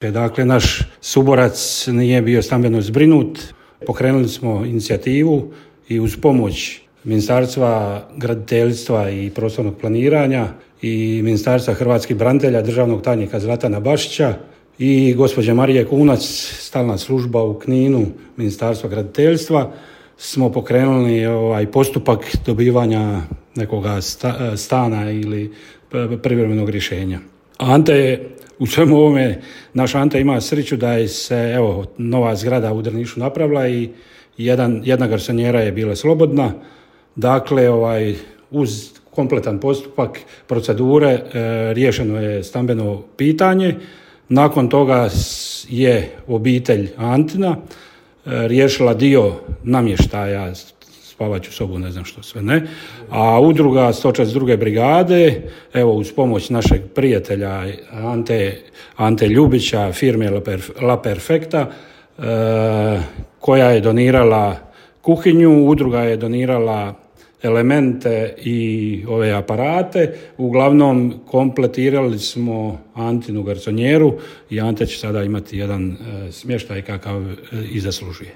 Dakle, naš suborac nije bio stambeno zbrinut. Pokrenuli smo inicijativu i uz pomoć Ministarstva graditeljstva i prostornog planiranja i Ministarstva hrvatskih branitelja, državnog tajnika Zlatana Bašića i gospođe Marije Kunac, stalna služba u Kninu, Ministarstva graditeljstva, smo pokrenuli postupak dobivanja nekoga stana ili privremenog rješenja. Ante je u svemu ovome, naš Ante ima sreću da je se nova zgrada u Drnišu napravila i jedna garsonjera je bila slobodna. Dakle, uz kompletan postupak procedure riješeno je stambeno pitanje. Nakon toga je obitelj Antina riješila dio namještaja, spavaću sobu, ne znam što sve ne, a udruga 142. brigade, uz pomoć našeg prijatelja Ante Ljubića, firme La Perfecta, koja je donirala kuhinju, udruga je donirala elemente i ove aparate. Uglavnom kompletirali smo Antinu garsonjeru i Ante će sada imati jedan smještaj kakav i zaslužuje.